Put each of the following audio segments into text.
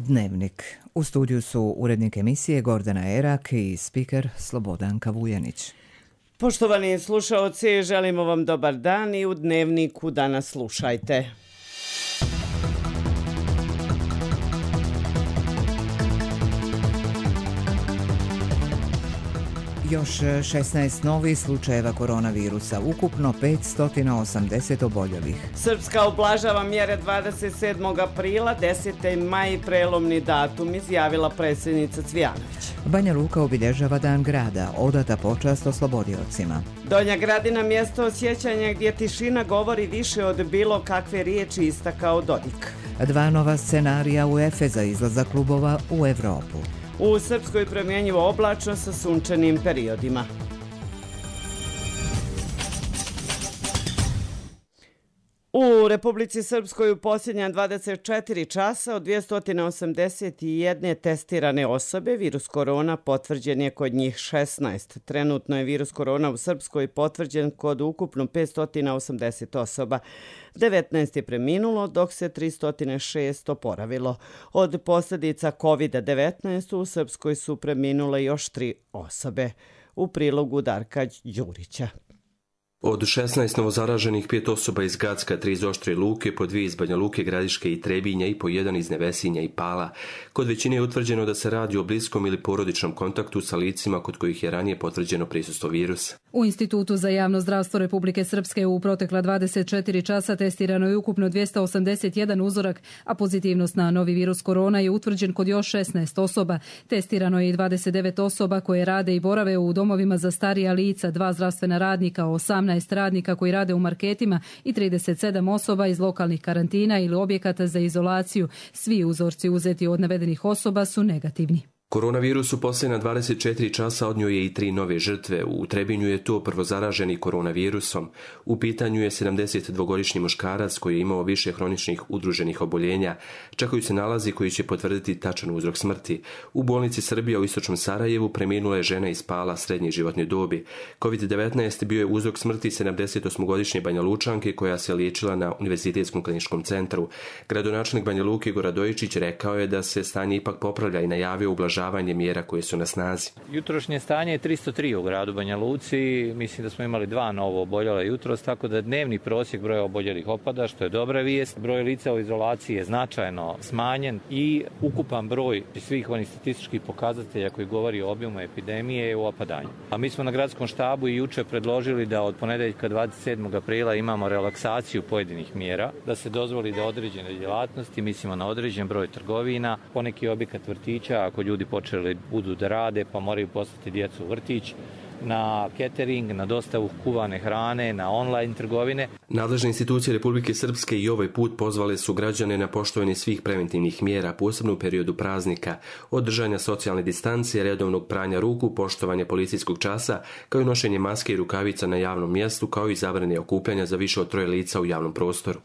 Dnevnik. U studiju su urednik emisije Gordana Erak i spiker Slobodanka Vujanić. Poštovani slušaoci, želimo vam dobar dan i u Dnevniku danas slušajte. Još 16 novih slučajeva koronavirusa, ukupno 580 oboljelih. Srpska ublažava mjere 27. aprila, 10. maj prelomni datum, izjavila predsjednica Cvijanović. Banja Luka obilježava dan grada, odata počast oslobodiocima. Donja Gradina mjesto osjećanja gdje tišina govori više od bilo kakve riječi, istakao Dodik. 2 nova scenarija UEFA za izlazak klubova u Evropu. U Srpskoj promjenjivo oblačno sa sunčanim periodima. U Republici Srpskoj u posljednja 24 časa od 281 testirane osobe virus korona potvrđen je kod njih 16. Trenutno je virus korona u Srpskoj potvrđen kod ukupno 580 osoba. 19 je preminulo, dok se 306 oporavilo. Od posljedica COVID-19 u Srpskoj su preminule još 3 osobe. U prilogu Darka Đurića. Od 16 novozaraženih 5 osoba iz Gacka, 3 iz Oštre Luke, po 2 iz Banja Luke, Gradiške i Trebinja i po 1 iz Nevesinja i Pala. Kod većine je utvrđeno da se radi o bliskom ili porodičnom kontaktu sa licima kod kojih je ranije potvrđeno prisustvo virusa. U Institutu za javno zdravstvo Republike Srpske u protekla 24 časa testirano je ukupno 281 uzorak, a pozitivnost na novi virus korona je utvrđen kod još 16 osoba. Testirano je i 29 osoba koje rade i borave u domovima za starija lica, 2 zdravstvena radnika, 18 radnika koji rade u marketima i 37 osoba iz lokalnih karantina ili objekata za izolaciju. Svi uzorci uzeti od navedenih osoba su negativni. Koronavirus u posljednja 24 časa odnio je i 3 nove žrtve. U Trebinju je to prvozaraženi koronavirusom. U pitanju je 72-godišnji muškarac koji je imao više hroničnih udruženih oboljenja. Čekaju se nalazi koji će potvrditi tačan uzrok smrti. U bolnici Srbija u istočnom Sarajevu preminula je žena iz Pala srednje životne dobi. COVID-19 bio je uzrok smrti 78-godišnje Banja Lučanke koja se liječila na Univerzitetskom kliničkom centru. Gradonačelnik Banja Luke Igor Radojičić rekao je da se stanje ipak popravlja i najavio ublažavanje mjera koje su na snazi. Jutrošnje stanje je 303 u gradu Banja Luci. Mislim da smo imali 2 novo oboljela jutros, tako da dnevni prosjek broja oboljelih opada, što je dobra vijest. Broj lica u izolaciji je značajno smanjen i ukupan broj svih onih statističkih pokazatelja koji govori o obimu epidemije je u opadanju. A mi smo na gradskom štabu i juče predložili da od ponedeljka 27. aprila imamo relaksaciju pojedinih mjera, da se dozvoli da određene djelatnosti, mislimo na određen broj trgovina, poneki objekat vrtića, ako ljudi počeli budu da rade pa moraju poslati djecu u vrtić, na catering, na dostavu kuvane hrane, na online trgovine. Nadležne institucije Republike Srpske i ovaj put pozvale su građane na poštovanje svih preventivnih mjera, posebno u periodu praznika, od držanja socijalne distancije, redovnog pranja ruku, poštovanja policijskog časa, kao i nošenje maske i rukavica na javnom mjestu, kao i zabrane okupljanja za više od 3 lica u javnom prostoru.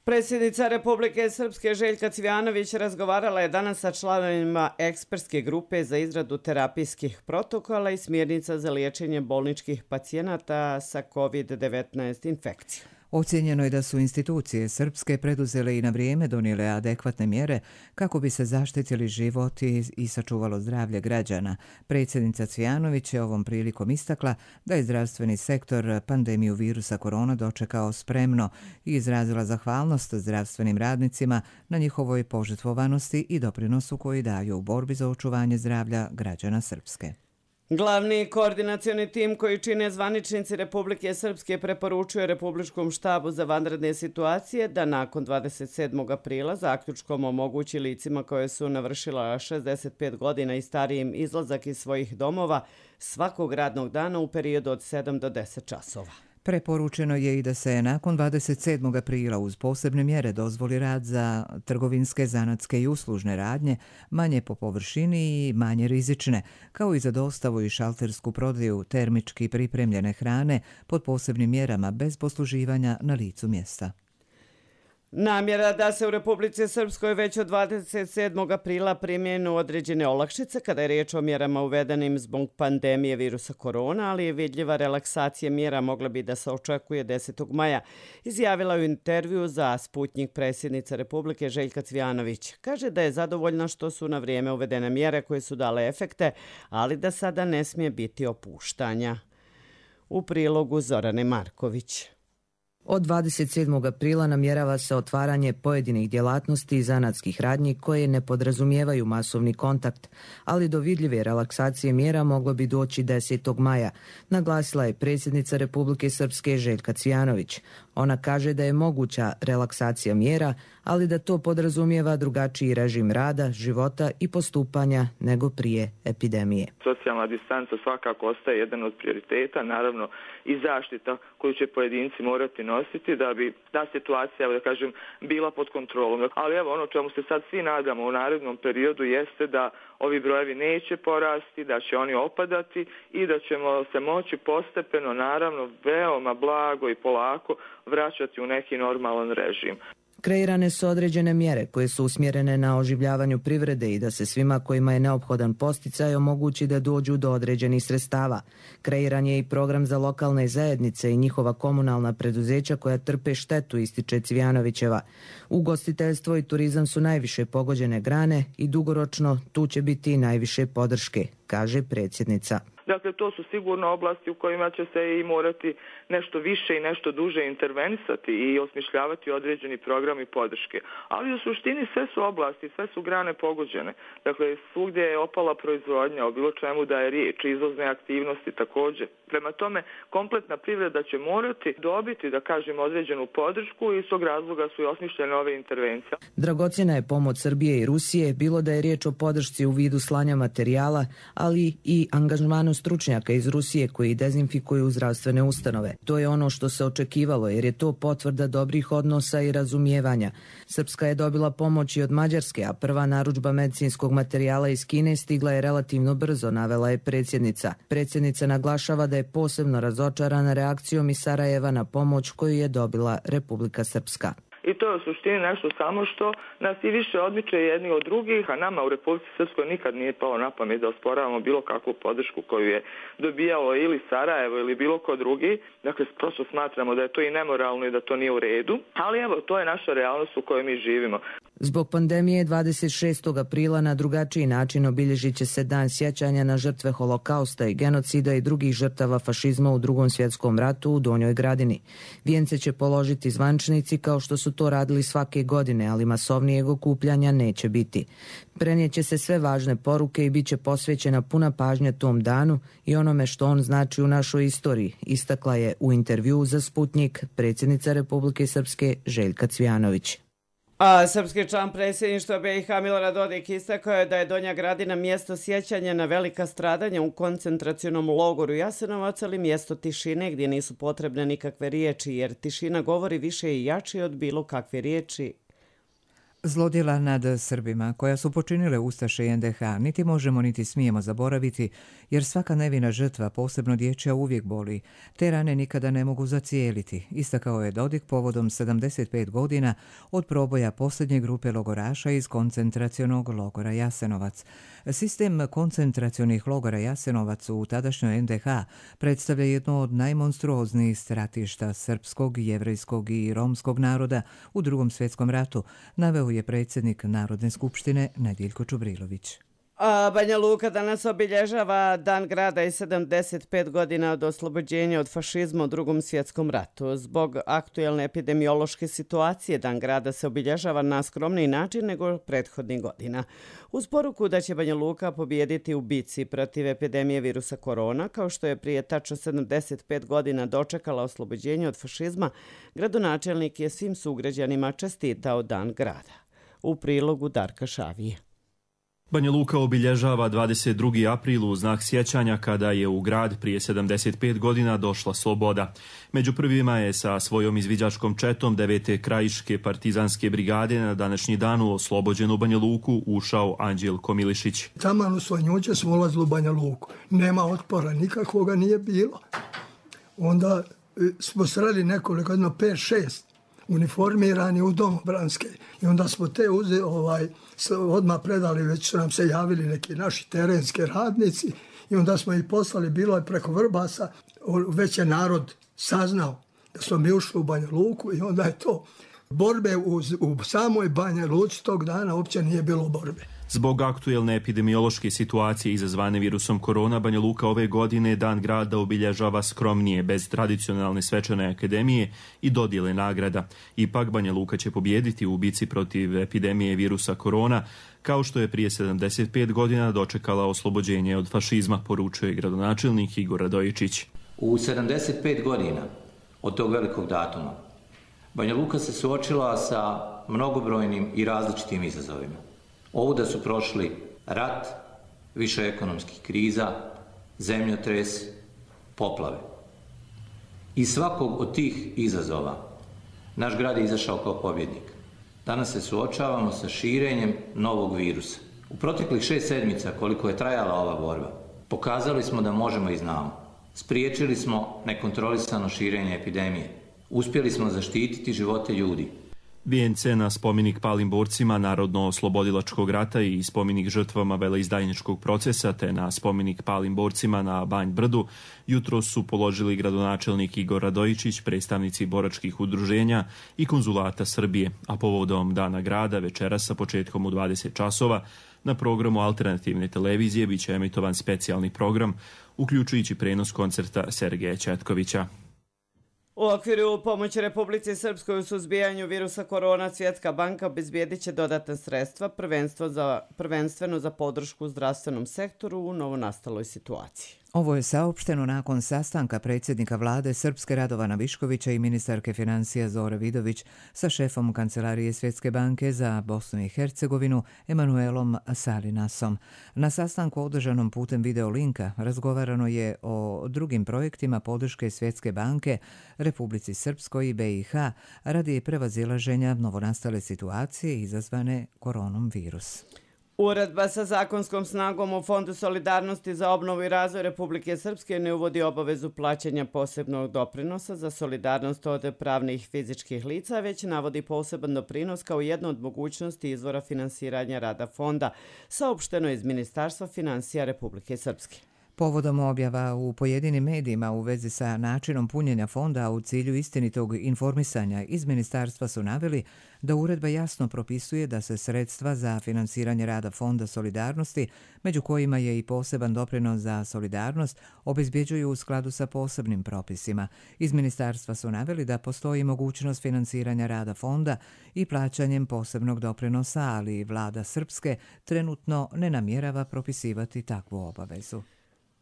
Predsjednica Republike Srpske Željka Cvijanović razgovarala je danas sa članovima ekspertske grupe za izradu terapijskih protokola i smjernica za liječenje bolničkih pacijenata sa COVID-19 infekcijom. Ocijenjeno je da su institucije srpske preduzele i na vrijeme donijele adekvatne mjere kako bi se zaštitili život i sačuvalo zdravlje građana. Predsjednica Cvijanović je ovom prilikom istakla da je zdravstveni sektor pandemiju virusa korona dočekao spremno i izrazila zahvalnost zdravstvenim radnicima na njihovoj požrtvovanosti i doprinosu koji daju u borbi za očuvanje zdravlja građana Srpske. Glavni koordinacioni tim koji čine zvaničnici Republike Srpske preporučuje Republičkom štabu za vanredne situacije da nakon 27. aprila zaključkom omogući licima koje su navršila 65 godina i starijim izlazak iz svojih domova svakog radnog dana u periodu od 7 do 10 časova. Preporučeno je i da se nakon 27. aprila uz posebne mjere dozvoli rad za trgovinske, zanatske i uslužne radnje, manje po površini i manje rizične, kao i za dostavu i šaltersku prodaju termički pripremljene hrane pod posebnim mjerama bez posluživanja na licu mjesta. Namjera da se u Republici Srpskoj već od 27. aprila primjenu određene olakšice kada je riječ o mjerama uvedenim zbog pandemije virusa korona, ali je vidljiva relaksacija mjera mogla bi da se očekuje 10. maja, izjavila u intervju za Sputnjik predsjednica Republike Željka Cvijanović. Kaže da je zadovoljna što su na vrijeme uvedene mjere koje su dale efekte, ali da sada ne smije biti opuštanja. U prilogu Zorane Marković. Od 27. aprila namjerava se otvaranje pojedinih djelatnosti i zanatskih radnji koje ne podrazumijevaju masovni kontakt, ali do vidljive relaksacije mjera moglo bi doći 10. maja, naglasila je predsjednica Republike Srpske Željka Cvijanović. Ona kaže da je moguća relaksacija mjera, ali da to podrazumijeva drugačiji režim rada, života i postupanja nego prije epidemije. Socijalna distanca svakako ostaje jedan od prioriteta, naravno i zaštita koju će pojedinci morati nositi da bi ta situacija, da kažem, bila pod kontrolom. Ali evo, ono čemu se sad svi nadamo u narednom periodu jeste da ovi brojevi neće porasti, da će oni opadati i da ćemo se moći postepeno, naravno, veoma blago i polako vraćati u neki normalan režim. Kreirane su određene mjere koje su usmjerene na oživljavanju privrede i da se svima kojima je neophodan posticaj omogući da dođu do određenih sredstava. Kreiran je i program za lokalne zajednice i njihova komunalna preduzeća koja trpe štetu, ističe Cvijanovićeva. Ugostiteljstvo i turizam su najviše pogođene grane i dugoročno tu će biti i najviše podrške, kaže predsjednica. Dakle, to su sigurno oblasti u kojima će se i morati nešto više i nešto duže intervenisati i osmišljavati određeni programi podrške. Ali u suštini sve su oblasti, sve su grane pogođene. Dakle, svugdje je opala proizvodnja, o bilo čemu da je riječ, izvozne aktivnosti također. Prema tome, kompletna privreda će morati dobiti, da kažem, određenu podršku i iz tog razloga su i osmišljene ove intervencije. Dragocjena je pomoć Srbije i Rusije, bilo da je riječ o podršci u vidu slanja materijala, ali i angažmanu stručnjaka iz Rusije koji dezinfikuju zdravstvene ustanove. To je ono što se očekivalo jer je to potvrda dobrih odnosa i razumijevanja. Srpska je dobila pomoć i od Mađarske, a prva narudžba medicinskog materijala iz Kine stigla je relativno brzo, navela je predsjednica. Predsjednica naglašava da je posebno razočarana reakcijom iz Sarajeva na pomoć koju je dobila Republika Srpska. I to je u suštini nešto samo što nas i više odmiče jedni od drugih, a nama u Republici Srpskoj nikad nije palo na pamet da osporavamo bilo kakvu podršku koju je dobijalo ili Sarajevo ili bilo ko drugi. Dakle, prosto smatramo da je to i nemoralno i da to nije u redu, ali evo, to je naša realnost u kojoj mi živimo. Zbog pandemije 26. aprila na drugačiji način obilježit će se dan sjećanja na žrtve holokausta i genocida i drugih žrtava fašizma u Drugom svjetskom ratu u Donjoj Gradini. Vijence će položiti zvančnici kao što su to radili svake godine, ali masovnijeg okupljanja neće biti. Prenijeće se sve važne poruke i bit će posvećena puna pažnja tom danu i onome što on znači u našoj istoriji, istakla je u intervjuu za Sputnjik predsjednica Republike Srpske Željka Cvijanović. A srpski član predsjedništva BiH Milorad Dodik istakao je da je Donja Gradina mjesto sjećanja na velika stradanja u koncentracionom logoru Jasenovac, ali mjesto tišine gdje nisu potrebne nikakve riječi, jer tišina govori više i jače od bilo kakve riječi. Zlodjela nad Srbima, koja su počinile ustaše i NDH, niti možemo niti smijemo zaboraviti, jer svaka nevina žrtva, posebno dječja, uvijek boli. Te rane nikada ne mogu zacijeliti, istakao je Dodik povodom 75 godina od proboja posljednje grupe logoraša iz koncentracionog logora Jasenovac. Sistem koncentracionih logora Jasenovac u tadašnjoj NDH predstavlja jedno od najmonstruoznijih stratišta srpskog, jevrejskog i romskog naroda u Drugom svjetskom ratu, naveo je predsjednik Narodne skupštine Nediljko Čubrilović. Banja Luka danas obilježava Dan grada i 75 godina od oslobođenja od fašizma u Drugom svjetskom ratu. Zbog aktuelne epidemiološke situacije Dan grada se obilježava na skromniji način nego prethodnih godina. Uz poruku da će Banja Luka pobijediti u bici protiv epidemije virusa korona, kao što je prije tačno 75 godina dočekala oslobođenje od fašizma, gradonačelnik je svim sugrađanima čestitao Dan grada. U prilogu Darka Šavije. Banja Luka obilježava 22. april u znak sjećanja kada je u grad prije 75 godina došla sloboda. Među prvima je sa svojom izviđačkom četom 9. krajiške partizanske brigade na današnji dan u oslobođenu Banja Luku ušao Anđelko Milišić. Taman u Svanjuće smo ulazili u Banja Luku. Nema otpora, nikakvoga nije bilo. Onda smo sreli nekoliko, 5-6 uniformirani u domobranske. I onda smo te odmah predali, već su nam se javili neki naši terenski radnici i onda smo ih poslali, bilo je preko Vrbasa, već je narod saznao da smo mi ušli u Banja Luku i onda je to borbe u samoj Banja Luci tog dana uopće nije bilo borbe. Zbog aktuelne epidemiološke situacije izazvane virusom korona, Banja Luka ove godine Dan grada obilježava skromnije, bez tradicionalne svečane akademije i dodjele nagrada. Ipak Banja Luka će pobijediti u bici protiv epidemije virusa korona, kao što je prije 75 godina dočekala oslobođenje od fašizma, poručuje gradonačelnik Igor Radojičić. U 75 godina od tog velikog datuma Banja Luka se suočila sa mnogobrojnim i različitim izazovima. Ovuda su prošli rat, više ekonomskih kriza, zemljotres, poplave. Iz svakog od tih izazova naš grad je izašao kao pobjednik. Danas se suočavamo sa širenjem novog virusa. U proteklih 6 sedmica koliko je trajala ova borba, pokazali smo da možemo i znamo. Spriječili smo nekontrolisano širenje epidemije. Uspjeli smo zaštititi živote ljudi. Vijence na spomenik palim borcima Narodno-oslobodilačkog rata i spomenik žrtvama veleizdajničkog procesa te na spomenik palim borcima na Banj Brdu jutro su položili gradonačelnik Igor Radojičić, predstavnici boračkih udruženja i konzulata Srbije, a povodom Dana grada večeras sa početkom u 20 časova na programu alternativne televizije biće emitovan specijalni program, uključujući prenos koncerta Sergeja Četkovića. U okviru pomoći Republici Srpskoj u suzbijanju virusa korona, Svjetska banka obezbijedit će dodatna sredstva, prvenstveno za podršku zdravstvenom sektoru u novonastaloj situaciji. Ovo je saopšteno nakon sastanka predsjednika vlade Srpske Radovana Viškovića i ministarke financija Zore Vidović sa šefom Kancelarije Svjetske banke za Bosnu i Hercegovinu Emanuelom Salinasom. Na sastanku održanom putem videolinka razgovarano je o drugim projektima podrške Svjetske banke Republici Srpskoj i BiH radi prevazilaženja novonastale situacije izazvane koronom virus. Uredba sa zakonskom snagom u Fondu solidarnosti za obnovu i razvoj Republike Srpske ne uvodi obavezu plaćanja posebnog doprinosa za solidarnost od pravnih i fizičkih lica, već navodi poseban doprinos kao jednu od mogućnosti izvora finansiranja rada fonda, saopšteno iz Ministarstva financija Republike Srpske. Povodom objava u pojedinim medijima u vezi sa načinom punjenja fonda u cilju istinitog informisanja iz ministarstva su naveli da uredba jasno propisuje da se sredstva za finansiranje rada Fonda solidarnosti, među kojima je i poseban doprinos za solidarnost, obezbjeđuju u skladu sa posebnim propisima. Iz ministarstva su naveli da postoji mogućnost finansiranja rada fonda i plaćanjem posebnog doprinosa, ali vlada Srpske trenutno ne namjerava propisivati takvu obavezu.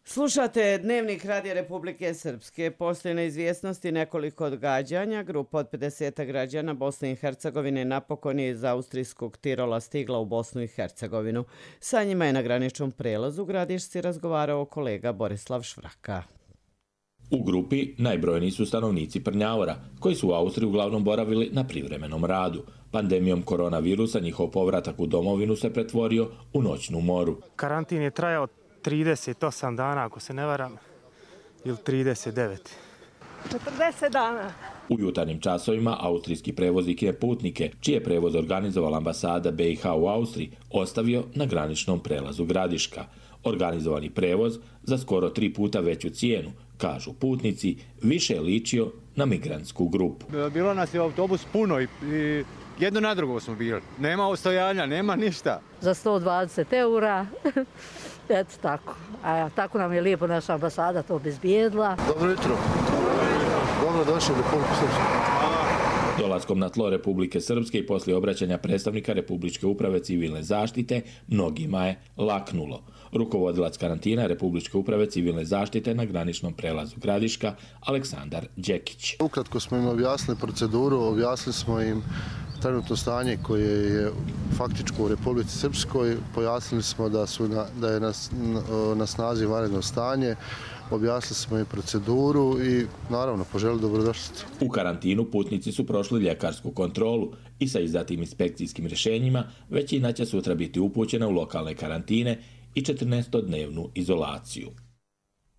Slušate Dnevnik Radija Republike Srpske. Postoji neizvjesnosti nekoliko odgađanja. Grupa od 50 građana Bosne i Hercegovine napokon je iz austrijskog Tirola stigla u Bosnu i Hercegovinu. Sa njima je na graničnom prelazu Gradišci razgovarao kolega Borislav Švraka. U grupi najbrojniji su stanovnici Prnjavora, koji su u Austriji uglavnom boravili na privremenom radu. Pandemijom koronavirusa njihov povratak u domovinu se pretvorio u noćnu moru. Karantin je trajao 38 dana, ako se ne varam, ili 39. 40 dana. U jutarnjim časovima austrijski prevoznik je putnike, čije prevoz organizovala ambasada BiH u Austriji, ostavio na graničnom prelazu Gradiška. Organizovani prevoz za skoro 3 puta veću cijenu, kažu putnici, više je ličio na migrantsku grupu. Bilo nas je autobus puno i jedno na drugo smo bili. Nema ostojanja, nema ništa. Za 120 eura, eto tako. A tako nam je lijepo naša ambasada to obezbijedila. Dobro jutro. Dobro došli u Republiku Srpsku. Dolaskom na tlo Republike Srpske i poslije obraćanja predstavnika Republičke uprave civilne zaštite, mnogima je laknulo. Rukovodilac karantina Republičke uprave civilne zaštite na graničnom prelazu Gradiška, Aleksandar Đekić. Ukratko smo im objasnili proceduru, objasnili smo im trenutno stanje koje je faktičko u Republici Srpskoj, pojasnili smo da je na snazi vanredno stanje, objasnili smo im proceduru i naravno poželili dobrodošlicu. U karantinu putnici su prošli ljekarsku kontrolu i sa izdatim inspekcijskim rješenjima većina će sutra biti upućena u lokalne karantine i 14-dnevnu izolaciju.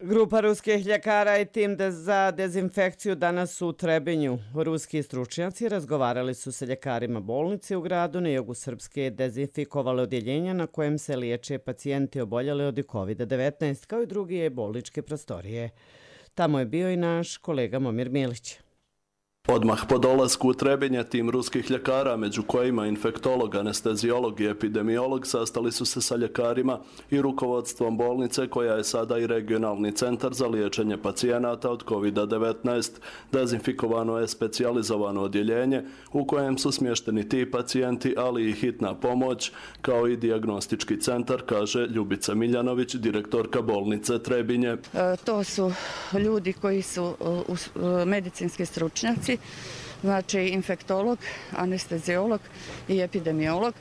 Grupa ruskih ljekara i tim za dezinfekciju danas su u Trebinju. Ruski stručnjaci razgovarali su sa ljekarima bolnice u gradu na jugu Srpske, dezinfikovali odjeljenja na kojem se liječe pacijenti oboljeli od COVID-19, kao i druge bolničke prostorije. Tamo je bio i naš kolega Momir Milić. Odmah po dolasku u Trebinje tim ruskih ljekara, među kojima infektolog, anesteziolog i epidemiolog, sastali su se sa ljekarima i rukovodstvom bolnice koja je sada i regionalni centar za liječenje pacijenata od COVID-19. Dezinfikovano je specijalizovano odjeljenje u kojem su smješteni ti pacijenti, ali i hitna pomoć, kao i dijagnostički centar, kaže Ljubica Miljanović, direktorka bolnice Trebinje. To su ljudi koji su medicinski stručnjaci, znači infektolog, anesteziolog i epidemiolog,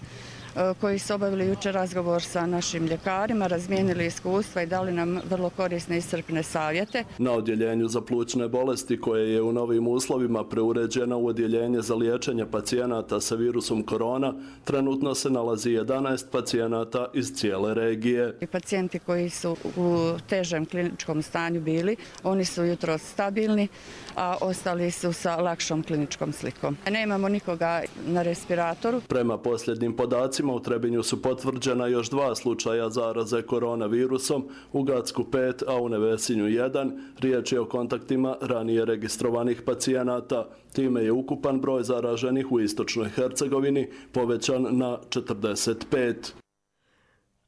koji su obavili jučer razgovor sa našim ljekarima, razmijenili iskustva i dali nam vrlo korisne i iscrpne savjete. Na odjeljenju za plućne bolesti, koje je u novim uslovima preuređeno u odjeljenje za liječenje pacijenata sa virusom korona, trenutno se nalazi 11 pacijenata iz cijele regije. Pacijenti koji su u težem kliničkom stanju bili, oni su jutros stabilni, a ostali su sa lakšom kliničkom slikom. Nemamo nikoga na respiratoru. Prema posljednjim podacima, u Trebinju su potvrđena još 2 slučaja zaraze koronavirusom, u Gacku 5, a u Nevesinju 1. Riječ je o kontaktima ranije registrovanih pacijenata. Time je ukupan broj zaraženih u Istočnoj Hercegovini povećan na 45.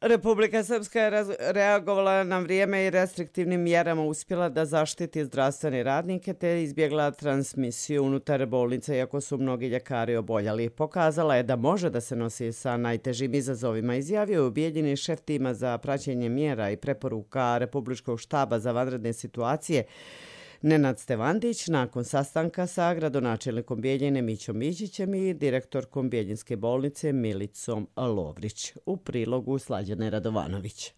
Republika Srpska je reagovala na vrijeme i restriktivnim mjerama uspjela da zaštiti zdravstvene radnike te izbjegla transmisiju unutar bolnice, iako su mnogi ljekari oboljeli. Pokazala je da može da se nosi sa najtežim izazovima, izjavio je ubijeljeni šef tima za praćenje mjera i preporuka Republičkog štaba za vanredne situacije Nenad Stevandić nakon sastanka sa gradonačelnikom Bijeljine Mićom Mićićem i direktorkom Bijeljinske bolnice Milicom Lovrić. U prilogu Slađane Radovanović.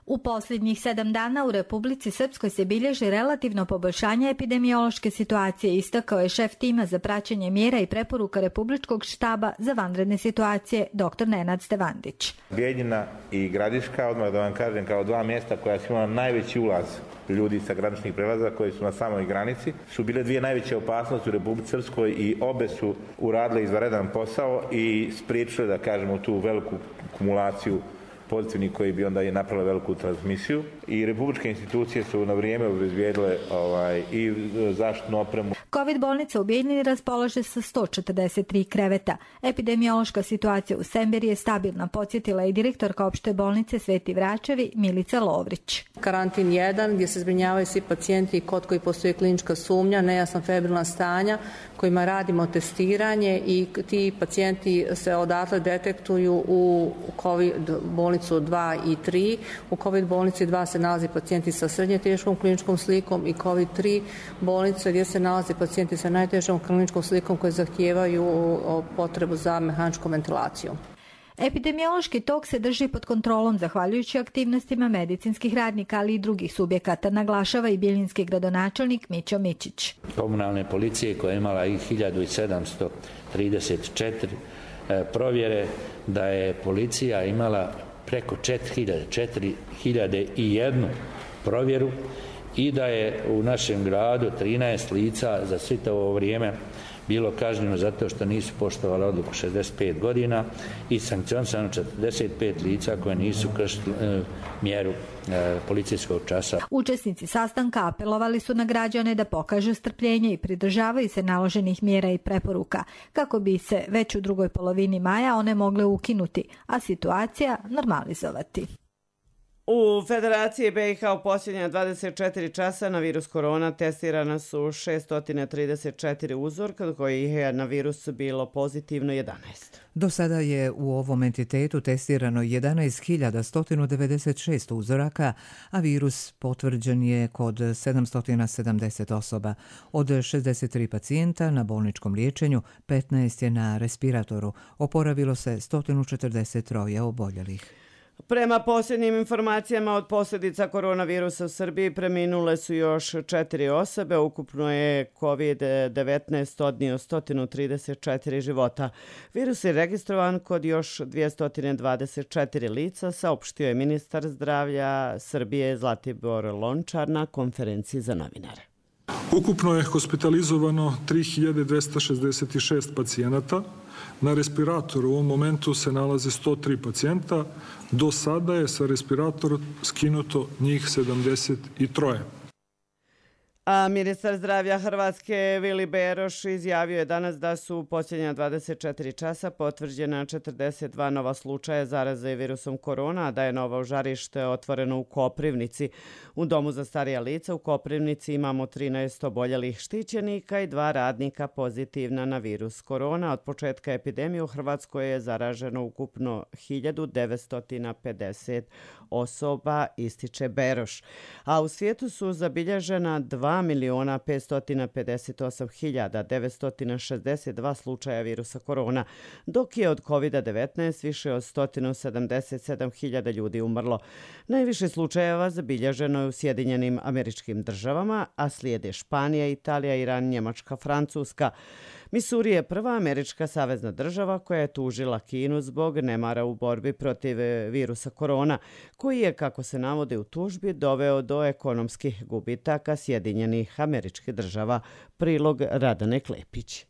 U posljednjih 7 dana u Republici Srpskoj se bilježi relativno poboljšanje epidemiološke situacije, istakao je šef tima za praćenje mjera i preporuka Republičkog štaba za vanredne situacije dr. Nenad Stevandić. Bijeljina i Gradiška, odmah da vam kažem, kao 2 mjesta koja su imala najveći ulaz ljudi sa graničnih prelaza koji su na samoj granici, su bile 2 najveće opasnosti u Republici Srpskoj i obe su uradile izvanredan posao i spriječile, da kažemo, tu veliku kumulaciju pozitivnih koji bi onda napravili veliku transmisiju i republičke institucije su na vrijeme obezbijedile i zaštitnu opremu. Covid bolnica u Bijeljini raspolaže sa 143 kreveta. Epidemiološka situacija u Semberi je stabilna, podsjetila i direktorka opšte bolnice Sveti Vračevi Milica Lovrić. Karantin 1 gdje se zbrinjavaju svi pacijenti kod koji postoji klinička sumnja, nejasna febrilna stanja kojima radimo testiranje i ti pacijenti se odatle detektuju u COVID bolnicu 2 i 3. U COVID bolnici 2 se nalazi pacijenti sa srednje teškom kliničkom slikom i COVID 3 bolnice gdje se nalazi pacijenti sa najtežom kliničkom slikom koji zahtijevaju potrebu za mehaničkom ventilacijom. Epidemiološki tok se drži pod kontrolom zahvaljujući aktivnostima medicinskih radnika, ali i drugih subjekata, naglašava i bijeljinski gradonačelnik Mićo Mićić. Komunalne policije koja je imala i 1734 provjere, da je policija imala preko 4001 provjeru i da je u našem gradu 13 lica za sve ovo vrijeme bilo kažnjeno zato što nisu poštovali odluku 65 godina i sankcionisano 45 lica koje nisu kršili mjeru policijskog časa. Učesnici sastanka apelovali su na građane da pokažu strpljenje i pridržavaju se naloženih mjera i preporuka kako bi se već u drugoj polovini maja one mogle ukinuti, a situacija normalizovati. U Federaciji BiH u posljednja 24 časa na virus korona testirana su 634 uzorka, od kojih je na virus bilo pozitivno 11. Do sada je u ovom entitetu testirano 11.196 uzoraka, a virus potvrđen je kod 770 osoba. Od 63 pacijenta na bolničkom liječenju, 15 je na respiratoru. Oporavilo se 143 oboljelih. Prema posljednjim informacijama od posljedica koronavirusa u Srbiji preminule su još 4 osobe. Ukupno je COVID-19 odnio 134 života. Virus je registrovan kod još 224 lica, saopštio je ministar zdravlja Srbije Zlatibor Lončar na konferenciji za novinare. Ukupno je hospitalizovano 3266 pacijenata. Na respiratoru u ovom momentu se nalaze 103 pacijenta. Do sada je sa respiratora skinuto njih 73. A ministar zdravlja Hrvatske Vili Beroš izjavio je danas da su u posljednja 24 časa potvrđena 42 nova slučaja zaraze virusom korona, a da je novo žarište otvoreno u Koprivnici. U domu za starija lica u Koprivnici imamo 13 oboljelih štićenika i 2 radnika pozitivna na virus korona. Od početka epidemije u Hrvatskoj je zaraženo ukupno 1950 osoba, ističe Beroš. A u svijetu su zabilježena 2.558.962 slučaja virusa korona, dok je od COVID-19 više od 177.000 ljudi umrlo. Najviše slučajeva zabilježeno je u Sjedinjenim Američkim Državama, a slijede Španija, Italija, Iran, Njemačka, Francuska. Misuri je prva američka savezna država koja je tužila Kinu zbog nemara u borbi protiv virusa korona, koji je, kako se navode u tužbi, doveo do ekonomskih gubitaka Sjedinjenih Američkih Država. Prilog Radane Klepić.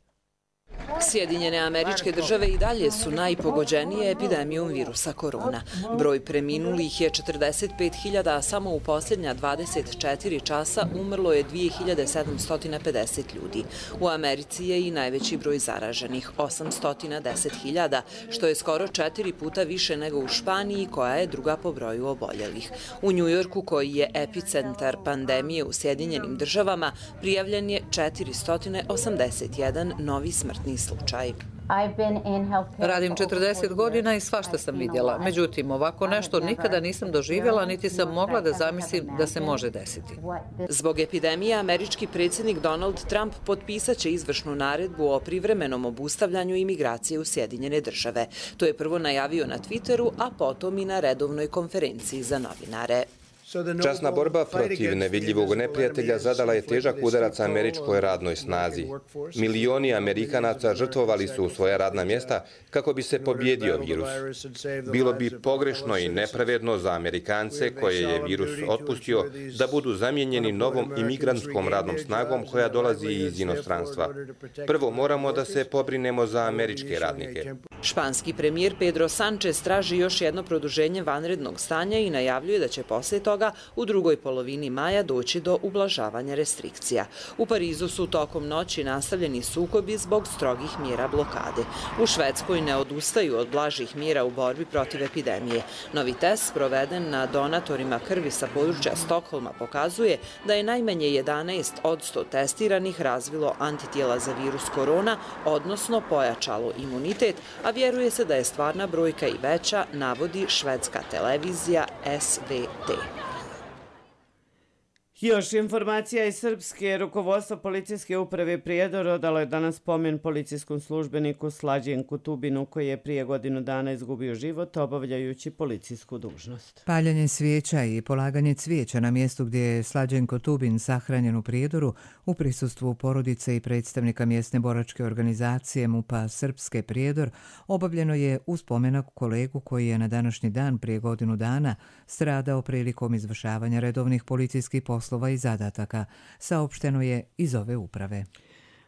Sjedinjene Američke Države i dalje su najpogođenije epidemijom virusa korona. Broj preminulih je 45.000, a samo u posljednja 24 časa umrlo je 2750 ljudi. U Americi je i najveći broj zaraženih, 810.000, što je skoro 4 puta više nego u Španiji, koja je druga po broju oboljelih. U Njujorku, koji je epicentar pandemije u Sjedinjenim Državama, prijavljen je 481 novi smrtni slučaj. Radim 40 godina i svašta sam vidjela. Međutim, ovako nešto nikada nisam doživjela, niti sam mogla da zamislim da se može desiti. Zbog epidemije, američki predsjednik Donald Trump potpisat će izvršnu naredbu o privremenom obustavljanju imigracije u Sjedinjene Države. To je prvo najavio na Twitteru, a potom i na redovnoj konferenciji za novinare. Časna borba protiv nevidljivog neprijatelja zadala je težak udarac američkoj radnoj snazi. Milioni Amerikanaca žrtvovali su svoja radna mjesta kako bi se pobjedio virus. Bilo bi pogrešno i nepravedno za Amerikance koje je virus otpustio da budu zamijenjeni novom imigrantskom radnom snagom koja dolazi iz inostranstva. Prvo moramo da se pobrinemo za američke radnike. Španski premijer Pedro Sánchez traži još jedno produženje vanrednog stanja i najavljuje da će poslije toga u drugoj polovini maja doći do ublažavanja restrikcija. U Parizu su tokom noći nastavljeni sukobi zbog strogih mjera blokade. U Švedskoj ne odustaju od blažih mjera u borbi protiv epidemije. Novi test proveden na donatorima krvi sa područja Stokholma pokazuje da je najmanje 11 od 100 testiranih razvilo antitijela za virus korona, odnosno pojačalo imunitet, a vjeruje se da je stvarna brojka i veća, navodi švedska televizija SVT. Još informacija iz Srpske. Rukovodstvo policijske uprave Prijedor odalo je danas spomen policijskom službeniku Slađenku Tubinu, koji je prije godinu dana izgubio život obavljajući policijsku dužnost. Paljenje svijeća i polaganje cvijeća na mjestu gdje je Slađenko Tubin sahranjen u Prijedoru u prisustvu porodice i predstavnika mjesne boračke organizacije MUP-a Srpske Prijedor obavljeno je u spomenak kolegu koji je na današnji dan prije godinu dana stradao prilikom izvršavanja redovnih policijskih poslova i zadataka, saopšteno je iz ove uprave.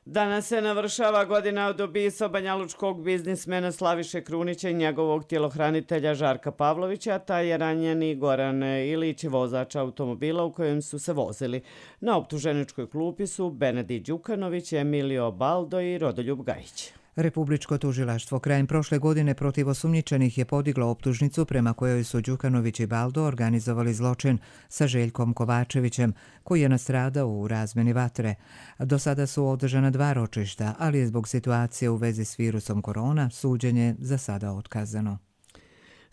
Danas se navršava godina od ubistva banjalučkog biznismena Slaviše Krunića i njegovog tjelohranitelja Žarka Pavlovića, taj je ranjeni Goran Ilić, vozač automobila u kojem su se vozili. Na optuženičkoj klupi su Benedi Đukanović, Emilio Baldo i Rodoljub Gajić. Republičko tužilaštvo krajem prošle godine protiv osumnjičenih je podiglo optužnicu prema kojoj su Đukanović i Baldo organizovali zločin sa Željkom Kovačevićem, koji je nastradao u razmjeni vatre. Do sada su održana 2 ročišta, ali je zbog situacije u vezi s virusom korona suđenje za sada otkazano.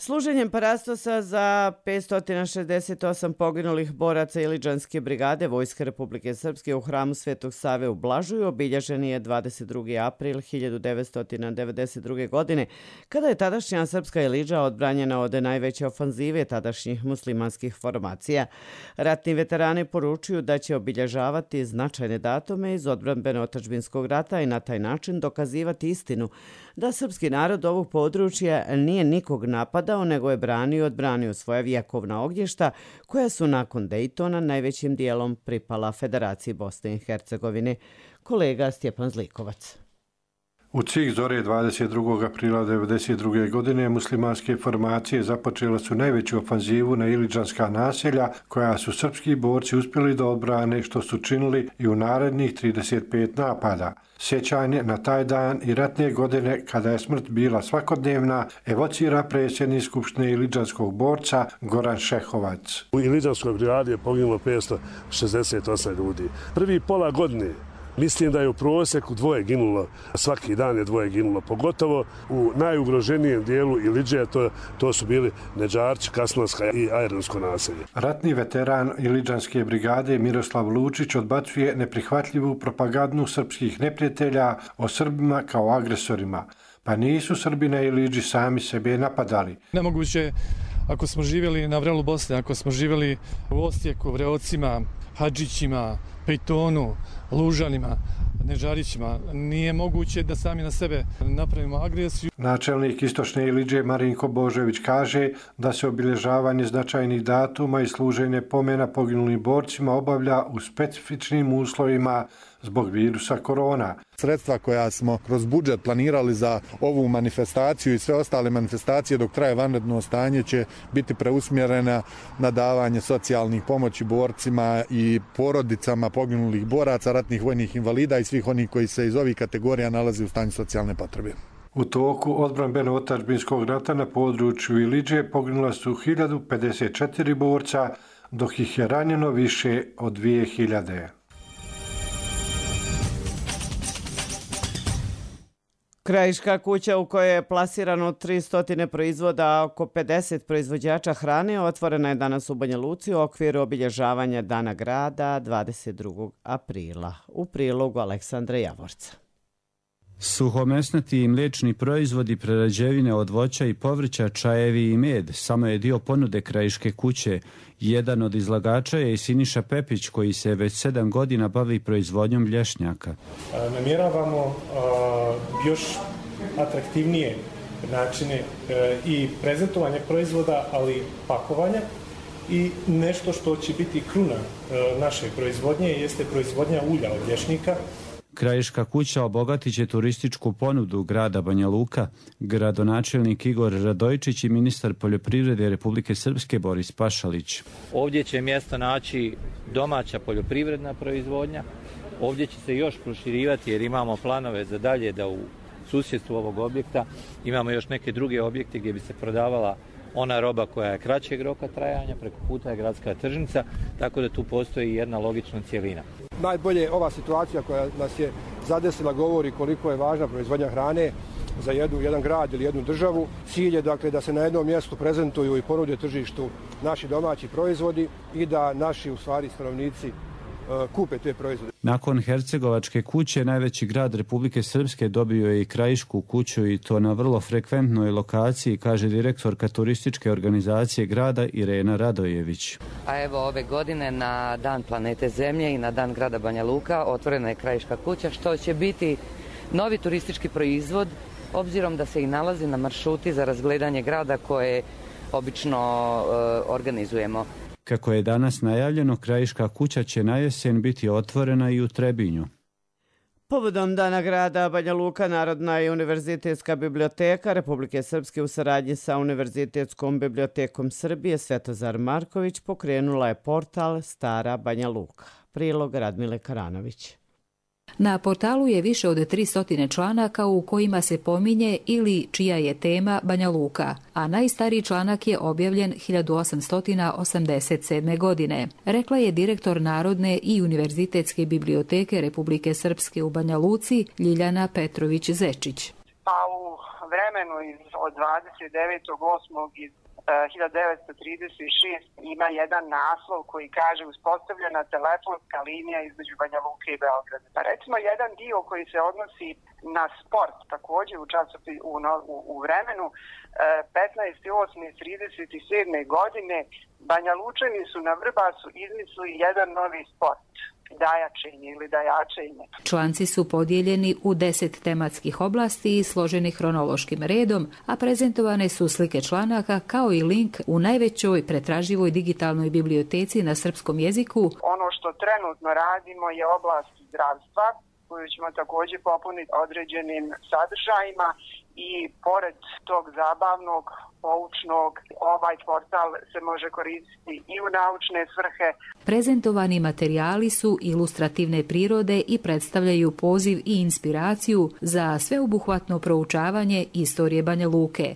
Služenjem parastosa za 568 poginulih boraca Iliđanske brigade Vojske Republike Srpske u hramu Svetog Save u Blažuju obilježen je 22. april 1992. godine, kada je tadašnja srpska Iliđa odbranjena od najveće ofanzive tadašnjih muslimanskih formacija. Ratni veterani poručuju da će obilježavati značajne datume iz odbrambeno-otadžbinskog rata i na taj način dokazivati istinu da srpski narod ovog područja nije nikog napadao, nego je branio i odbranio svoja vjekovna ognjišta koja su nakon Dejtona najvećim dijelom pripala Federaciji Bosne i Hercegovine. Kolega Stjepan Zlikovac. U cih zore 22. aprila 1992. godine muslimanske formacije započele su najveću ofanzivu na iliđanska naselja koja su srpski borci uspjeli da odbrane što su činili i u narednih 35 napada. Sjećanje na taj dan i ratne godine kada je smrt bila svakodnevna evocira predsjednik Skupštine iliđanskog borca Goran Šehovac. U iliđanskoj brigadi je poginulo 568 ljudi. Prvi pola godine mislim da je u prosjeku dvoje ginulo, svaki dan je dvoje ginulo, pogotovo u najugroženijem dijelu Iliđe, to su bili Neđarči, Kaslanska i Ajronsko naselje. Ratni veteran Iliđanske brigade Miroslav Lučić odbacuje neprihvatljivu propagandu srpskih neprijatelja o Srbima kao agresorima, pa nisu Srbi na Iliđi sami sebe napadali. Nemoguće ako smo živjeli na vrelu Bosne, ako smo živjeli u Osijeku, Vreocima, Hadžićima, Pejtonu, Lužanima, Nežarićima, nije moguće da sami na sebe napravimo agresiju. Načelnik Istočne Iliđe Marinko Božević kaže da se obilježavanje značajnih datuma i služenje pomena poginulim borcima obavlja u specifičnim uslovima zbog virusa korona. Sredstva koja smo kroz budžet planirali za ovu manifestaciju i sve ostale manifestacije dok traje vanredno stanje će biti preusmjerena na davanje socijalnih pomoći borcima i porodicama poginulih boraca, ratnih vojnih invalida i svih onih koji se iz ovih kategorija nalaze u stanju socijalne potrebe. U toku odbrambeno-otadžbinskog rata na području Iliđe poginula su 1054 borca, dok ih je ranjeno više od 2000. Krajiška kuća u kojoj je plasirano 300 proizvoda, a oko 50 proizvođača hrane otvorena je danas u Banja Luci u okviru obilježavanja Dana grada 22. aprila. U prilogu Aleksandra Javorca. Suhomesnati i mliječni proizvodi, prerađevine od voća i povrća, čajevi i med samo je dio ponude Krajiške kuće. Jedan od izlagača je i Siniša Pepić koji se već 7 godina bavi proizvodnjom lješnjaka. Namjeravamo još atraktivnije načine i prezentovanja proizvoda, ali pakovanja i nešto što će biti kruna naše proizvodnje jeste proizvodnja ulja od lješnika. Krajiška kuća obogatit će turističku ponudu grada Banja Luka. Gradonačelnik Igor Radojčić i ministar poljoprivrede Republike Srpske Boris Pašalić. Ovdje će mjesto naći domaća poljoprivredna proizvodnja. Ovdje će se još proširivati jer imamo planove za dalje da u susjedstvu ovog objekta imamo još neke druge objekte gdje bi se prodavala ona roba koja je kraćeg roka trajanja, preko puta je gradska tržnica, tako da tu postoji jedna logična cjelina. Najbolje ova situacija koja nas je zadesila govori koliko je važna proizvodnja hrane za jedan grad ili jednu državu. Cilj je dakle da se na jednom mjestu prezentuju i ponude tržištu naši domaći proizvodi i da naši u stvari stanovnici kupe te proizvode. Nakon Hercegovačke kuće, najveći grad Republike Srpske dobio je i Krajišku kuću i to na vrlo frekventnoj lokaciji, kaže direktorka turističke organizacije grada Irena Radojević. A evo ove godine na Dan planete Zemlje i na Dan grada Banja Luka otvorena je Krajiška kuća, što će biti novi turistički proizvod, obzirom da se i nalazi na maršruti za razgledanje grada koje obično organizujemo. Kako je danas najavljeno, Krajiška kuća će na jesen biti otvorena i u Trebinju. Povodom Dana grada Banja Luka, Narodna i univerzitetska biblioteka Republike Srpske u saradnji sa Univerzitetskom bibliotekom Srbije Svetozar Marković pokrenula je portal Stara Banja Luka. Prilog Radmile Karanović. Na portalu je više od 300 članaka u kojima se pominje ili čija je tema Banja Luka, a najstariji članak je objavljen 1887. godine, rekla je direktor Narodne i univerzitetske biblioteke Republike Srpske u Banja Luci Ljiljana Petrović-Zečić. Pa u vremenu od 29.8. iz 1936 ima jedan naslov koji kaže uspostavljena telefonska linija između Banja Luke i Beograda. Pa recimo jedan dio koji se odnosi na sport, također u vremenu 15.8.37. godine Banja Lučani su na Vrbasu izmislili jedan novi sport. Dajačenje ili dajačenje. Članci su podijeljeni u 10 tematskih oblasti i složeni hronološkim redom, a prezentovane su slike članaka kao i link u najvećoj pretraživoj digitalnoj biblioteci na srpskom jeziku. Ono što trenutno radimo je oblast zdravstva, koju ćemo također popuniti određenim sadržajima i pored tog zabavnog, poučnog, ovaj portal se može koristiti i u naučne svrhe. Prezentovani materijali su ilustrativne prirode i predstavljaju poziv i inspiraciju za sveobuhvatno proučavanje istorije Banja Luke.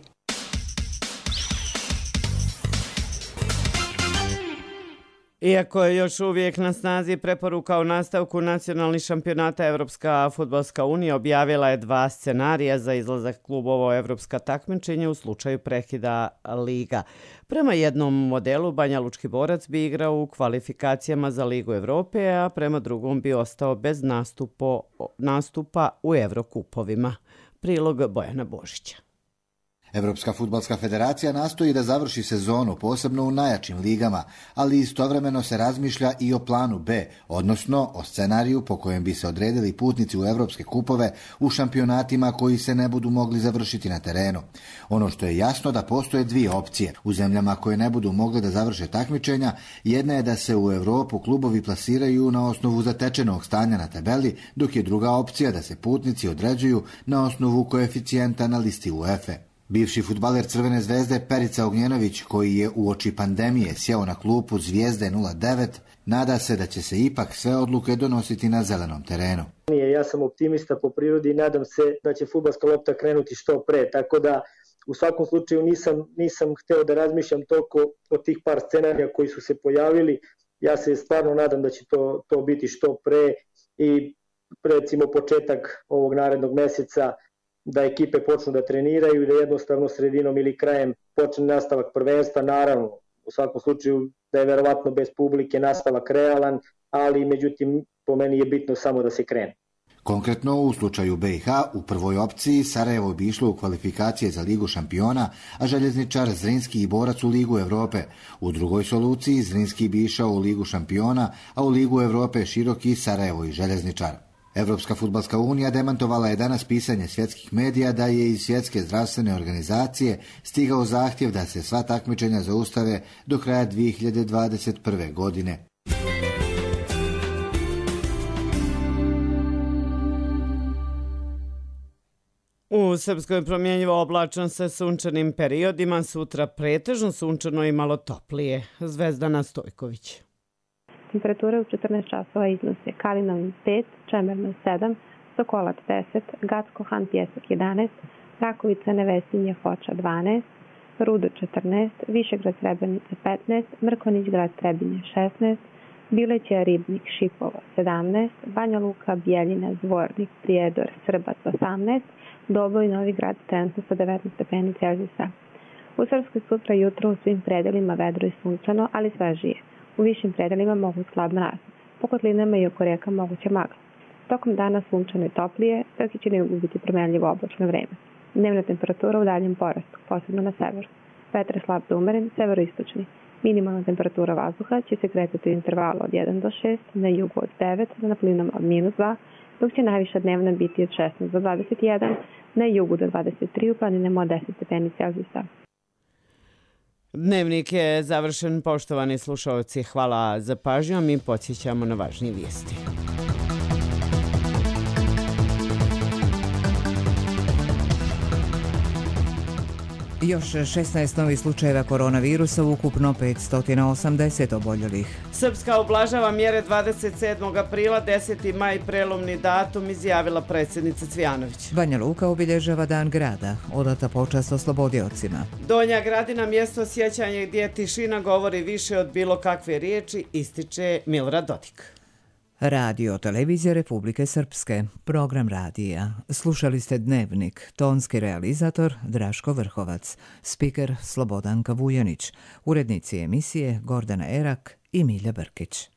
Iako je još uvijek na snazi preporuka o nastavku nacionalnih šampionata, Evropska fudbalska unija objavila je 2 scenarija za izlazak klubova u evropska takmičenja u slučaju prekida liga. Prema jednom modelu Banja Lučki borac bi igrao u kvalifikacijama za Ligu Evrope, a prema drugom bi ostao bez nastupa u Evrokupovima. Prilog Bojana Božića. Evropska fudbalska federacija nastoji da završi sezonu, posebno u najjačim ligama, ali istovremeno se razmišlja i o planu B, odnosno o scenariju po kojem bi se odredili putnici u evropske kupove u šampionatima koji se ne budu mogli završiti na terenu. Ono što je jasno da postoje 2 opcije. U zemljama koje ne budu mogle da završe takmičenja, jedna je da se u Evropu klubovi plasiraju na osnovu zatečenog stanja na tabeli, dok je druga opcija da se putnici određuju na osnovu koeficijenta na listi UEFA. Bivši fudbaler Crvene zvezde Perica Ognjenović, koji je uoči pandemije sjeo na klupu Zvijezde 09, nada se da će se ipak sve odluke donositi na zelenom terenu. Ja sam optimista po prirodi i nadam se da će fudbalska lopta krenuti što pre, tako da u svakom slučaju nisam hteo da razmišljam toliko o tih par scenarija koji su se pojavili. Ja se stvarno nadam da će to biti što pre i recimo početak ovog narednog meseca da ekipe počnu da treniraju i da jednostavno sredinom ili krajem počne nastavak prvenstva. Naravno, u svakom slučaju da je verovatno bez publike nastavak realan, ali međutim po meni je bitno samo da se krene. Konkretno u slučaju BiH u prvoj opciji Sarajevo bi išlo u kvalifikacije za Ligu šampiona, a Željezničar, Zrinski i Borac u Ligu Evrope. U drugoj soluciji Zrinski bi išao u Ligu šampiona, a u Ligu Evrope Široki, Sarajevo i Željezničar. Evropska fudbalska unija demantovala je danas pisanje svjetskih medija da je iz Svjetske zdravstvene organizacije stigao zahtjev da se sva takmičenja zaustave do kraja 2021. godine. U Srpskoj promjenjivo oblačno sa sunčanim periodima, sutra pretežno sunčano i malo toplije. Zvezdana Stojković. Temperature u 14 časova iznose Kalinovin 5, Čemerno 7, Sokolac 10, Gacko-Han Pjesak 11, Rakovica Nevesinje Foča 12, Rudo 14, Višegrad Srebrenica 15, Mrkonjić Grad Trebinje 16, Bileća Ribnik Šipova 17, Banja Luka Bijeljina Zvornik Prijedor Srbac 18, Doboj Novi Grad trenutno sa 19 stepeni Celzijusa. U Srpskoj sutra jutro u svim predelima vedro i sunčano, ali svežije. U višim predelima mogu slab mraz. Po kotlinama i oko reka moguće magla. Tokom dana sunčano i toplije, dok će na jugu biti promenljivo oblačno vreme. Dnevna temperatura u daljem porastu, posebno na severu. Vetar slab do umeren, severoistočni. Minimalna temperatura vazduha će se kretati u intervalu od 1 do 6, na jugu od 9, na plinama od -2, dok će najviša dnevna biti od 16 do 21, na jugu do 23, u planinama od 10 stepeni Celzijusa. Dnevnik je završen, poštovani slušalci. Hvala za pažnju, a mi podsjećamo na važnije vijesti. Još 16 novih slučajeva koronavirusa, ukupno 580 oboljelih. Srpska ublažava mjere 27. aprila, 10. maj prelomni datum, izjavila predsjednica Cvijanović. Banja Luka obilježava dan grada, odata počast oslobodiocima. Donja Gradina, mjesto sjećanja gdje tišina govori više od bilo kakve riječi, ističe Milorad Dodik. Radio Televizija Republike Srpske, program radija. Slušali ste Dnevnik, tonski realizator Draško Vrhovac, spiker Slobodanka Vujanić, urednici emisije Gordana Erak i Milja Brkić.